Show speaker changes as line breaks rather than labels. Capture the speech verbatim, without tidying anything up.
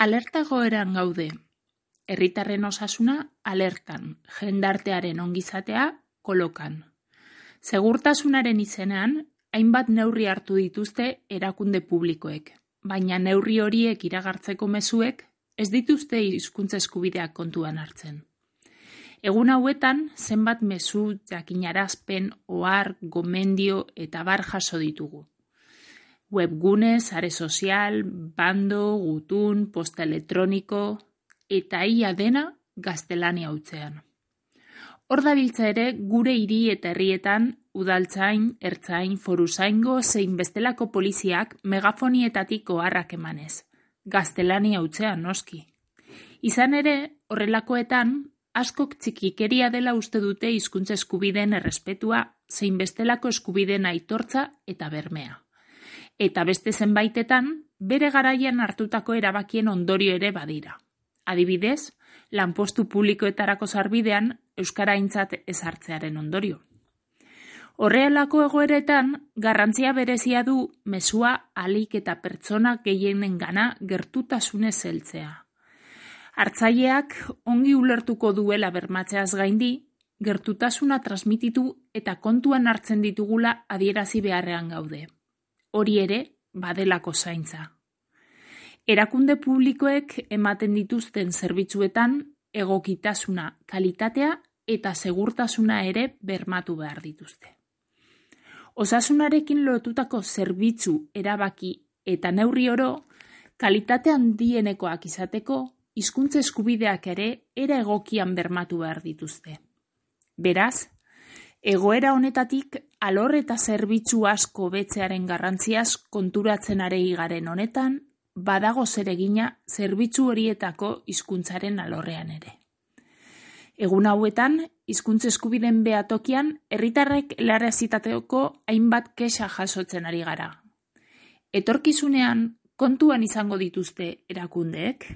Alerta egoeran gaude. Herritarren osasuna alertan, jendartearen ongizatea kolokan. Segurtasunaren izenean, hainbat neurri hartu dituzte erakunde publikoek, baina neurri horiek iragartzeko mezuek ez dituzte hizkuntza eskubideak kontuan hartzen. Egun hauetan, zenbat mezu, jakinarazpen, ohar, gomendio eta bar jaso ditugu. Webgune, sare sozial, bando, gutun, posta elektroniko, eta ia dena gaztelania hutsean. Hor dabiltza ere gure hiri eta herrietan udaltzain, ertzain, foruzaingo zein bestelako poliziak megafonietatik oharrak emanez. Gaztelania hutsean noski. Izan ere, horrelakoetan, askok txikikeria dela uste dute hizkuntza eskubideen errespetua zein bestelako eskubideen aitortza eta bermea. Eta beste zenbaitetan, bere garaian hartutako erabakien ondorio ere badira. Adibidez, lanpostu publikoetarako sarbidean euskara aintzat ezartzearen ondorio. Horrelako egoeretan, garrantzia berezia du mezua ahalik eta pertsona gehienengana gertutasunez heltzea. Hartzaileak ongi ulertuko duela bermatzeaz gaindi, gertutasuna transmititu eta kontuan hartzen ditugula adierazi beharrean gaude. Hori ere, badelako zaintza. Erakunde publikoek ematen dituzten zerbitzuetan egokitasuna, kalitatea eta segurtasuna ere bermatu behar dituzte. Osasunarekin lotutako zerbitzu, erabaki eta neurri oro, kalitate handienekoak izateko, hizkuntza eskubideak ere era egokian bermatu behar dituzte. Beraz, egoera honetatik alor eta zerbitzu asko betzearen garrantziaz konturatzen arei garen honetan, badago zeregina zerbitzu horietako hizkuntzaren alorrean ere. Egun hauetan, hizkuntza eskubideen behatokian, herritarrek helarazitako hainbat kexa jasotzen ari gara. Etorkizunean kontuan izango dituzte erakundeek?